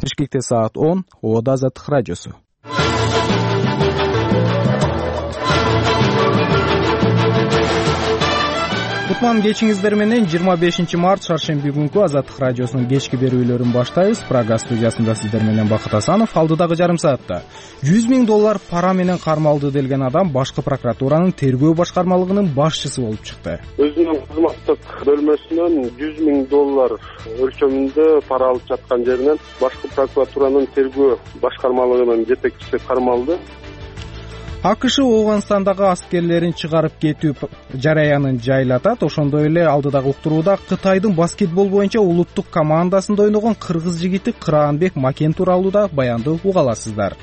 Бишкекте саат 10. Ободо Азаттык радиосу. Кутман кечиңиздер менен 25 март шаршемби күнкү Азаттык радиосунун кечки берүүлөрүн баштайбыз. Прага студиясында сиздер менен Бакыт Асанов. Алдыдагы жарым саатта $100 000 пара менен кармалды делген адам башкы прокуратуранын тергөө башкармалыгынын башчысы болуп чыкты. Өзүнүн кызматтык бөлмөсүнөн $100 000 өлчөмүндө пара алып жаткан жеринен башкы прокуратуранын тергөө башкармалыгынын жетекчиси кармалды. АКШ Ооганстандагы аскерлерин чыгарып кетүү жараянын жайлатат. Ошондой эле алдыдагы уктурууда Кытайдын баскетбол боюнча улуттук командасында ойногон кыргыз жигити Кыраанбек Макен тууралуу да баянды уга аласыздар.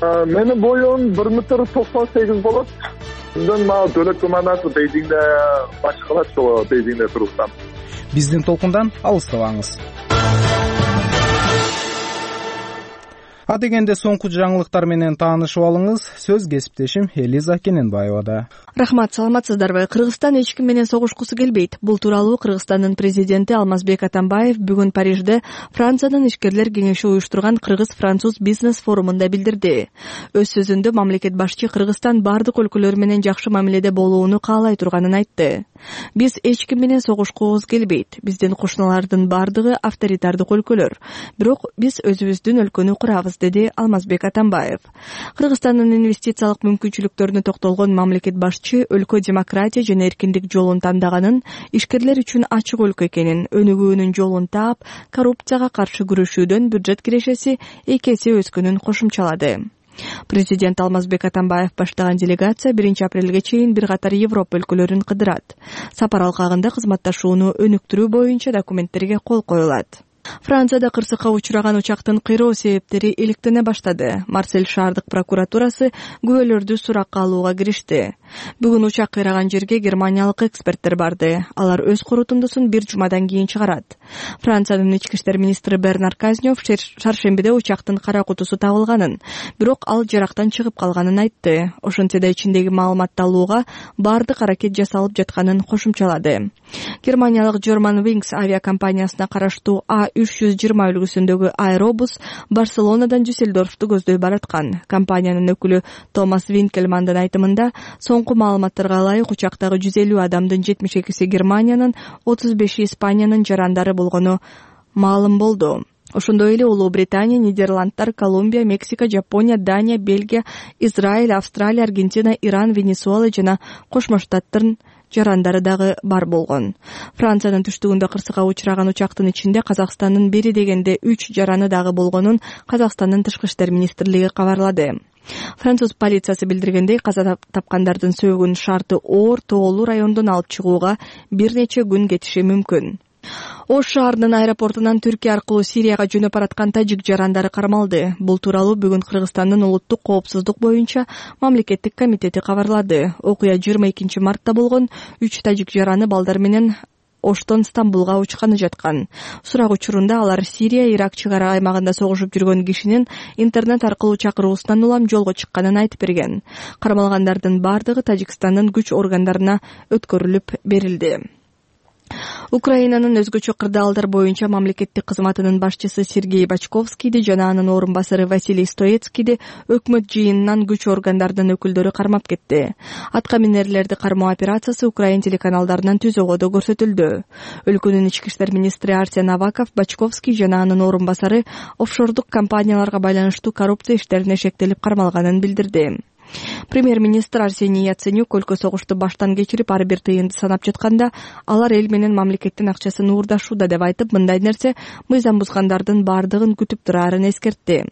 Менин боюм 1,98 болот. Мен дөлөт командасы Бейжиңде башкалат, ошо Бейжиңде туруптам. Биздин толкундан алыстабаңыз. Адегенде соңку жаңылыктар менен таанышып алыңыз. Сөз кесиптешим Элиза Кененбаевада. Рахмат, саламатсыздарбы? Кыргызстан эч ким менен согушкусу келбейт. Бул тууралуу Кыргызстандын президенти Алмазбек Атамбаев бүгүн Парижде Франциянын ишкерлер кеңеши уюштурган Кыргыз-француз бизнес форумунда билдирди. Өз сөзүндө мамлекет башчы Кыргызстан бардык өлкөлөр менен жакшы мамиледе болууну каалай турганын айтты. Биз эч ким менен согушкубуз келбейт. Биздин кошуналардын бардыгы авторитардык өлкөлөр. Бирок биз өзүбүздүн өлкөнү курабыз, деди Алмазбек Атамбаев. Кыргызстандын инвестициялык мүмкүнчүлүктөрүнө токтолгон мамлекет башчы өлкө демократия жана эркиндик жолун тандаганын, ишкерлер үчүн ачык өлкө экенин, өнүгүүнүн жолун таап, коррупцияга каршы күрөшүүдөн бюджет кирешеси 2 эсе өскөнүн кошумчалады. Президент Алмазбек Атамбаев баштаган делегация 1 апрелге чейин бир катар Европа өлкөлөрүн кыдырат. Сапар алкагында кызматташууну өнүктүрүү боюнча документтерге кол коюлат. Францияда кырсыкка учураган учактын кыйроо себептери иликтене баштады. Марсель шаардык прокуратурасы күбөлөрдү суракка алууга киришти. Бүгүн учак кыйраган жерге германиялык эксперттер барды. Алар өз корутундусун бир жумадан кийин чыгарат. Франциянын ички иштер министри Бернар Казнев шаршембиде учактын кара кутусу табылганын, бирок ал жарактан чыгып калганын айтты. Ошентсе да ичиндеги маалыматты алууга бардык аракет жасалып жатканын кошумчалады. Германиялык Germanwings авиакомпаниясына караштуу А320 үлгүсүндөгү аэробус Барселонадан Дюссельдорфту көздөй бараткан. Компаниянын өкүлү Томас Винкельмандын айтымында, соңку маалыматтарга ылайык учактагы 150 адамдын 72си Германиянын, 35и Испаниянын жарандары болгону маалым болду. Ошондой эле Улуу Британия, Нидерландтар, Колумбия, Мексика, Жапония, Дания, Бельгия, Израиль, Австралия, Аргентина, Иран, Венесуэла жана Кошмо Штаттардын жарандары дагы бар болгон. Франциянын түштүгүндө кырсыкка учураган учактын ичинде Казакстандын бери дегенде 3 жараны дагы болгонун Казакстандын тышкы иштер министрлиги кабарлады. Француз полициясы билдиргендей, каза тапкандардын сөөгүнүн шарты оор тоолуу райондон алып чыгууга бир нече күн кетиши мүмкүн. Ош шаарынын аэропортунан Түркия аркылуу Сирияга жөнөп бараткан тажик жарандары кармалды. Бул тууралуу бүгүн Кыргызстандын улуттук коопсуздук боюнча мамлекеттик комитети кабарлады. Окуя 22 мартта болгон. 3 тажик жараны балдар менен Оштон Стамбулга учканы жаткан. Сурак учурунда алар Сирия, Ирак чек ара аймагында согушуп жүргөн кишинин интернет аркылуу чакыруусунан улам жолго чыкканын айтып берген. Кармалгандардын бардыгы Тажикстандын күч органдарына өткөрүлүп берилди. Украинанын өзгөчө кырдаалдар боюнча мамлекеттик кызматынын башчысы Сергей Бачковскийди жана анын орун басары Василий Стоецкийди өкмөт жыйынынан күч органдардын өкүлдөрү кармап кетти. Атка минерлерди кармоо операциясы Украин телеканалдарынан түзөгөдө көрсөтүлдү. Өлкөнүн ички иштер министри Арсен Аваков Бачковский жана анын орун басары офшордук компанияларга байланыштуу коррупция иштерине шектелип кармалганын билдирди. Премьер-министр Арсений Яценюк өлкө согушту баштан кечирип ар бир тыйынды санап жатканда, алар эл менен мамлекеттин акчасын уурдашууда деп айтып, мындай нерсе мыйзам бузгандардын бардыгын күтүп турарын эскертти.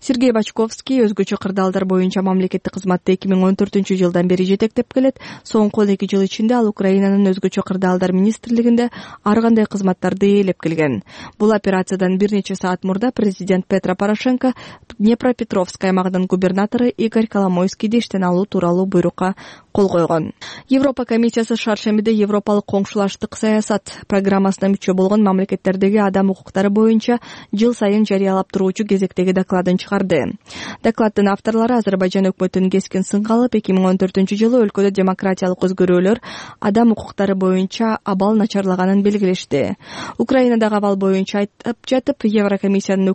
Сергей Бачковский өзгөчө кырдаалдар боюнча мамлекеттик кызматты 2014-жылдан бери жетектеп келет. Соңку 2 жыл ичинде ал Украинанын өзгөчө кырдаалдар министрлигинде ар кандай кызматтарды ээлеп келген. Бул операциядан бир нече саат мурда президент Петро Порошенко Днепропетровск аймагынын губернатору Игорь Коломойскийди иштен алуу тууралуу буйрукка кол койгон. Европа комиссиясы шаршембиде Европалык коңшулаштык саясат программасына мүчө болгон мамлекеттердеги адам укуктары боюнча жыл сайын жарыялап туруучу кезектеги докладын чыгарды. Докладдын авторлору Азербайжан өкмөтүн кескин сынга алып, 2014-жылы өлкөдө демократиялык өзгөрүүлөр адам укуктары боюнча абал начарлаганын белгилешти. Украинадагы абал боюнча айтып жатып, Еврокомиссиянын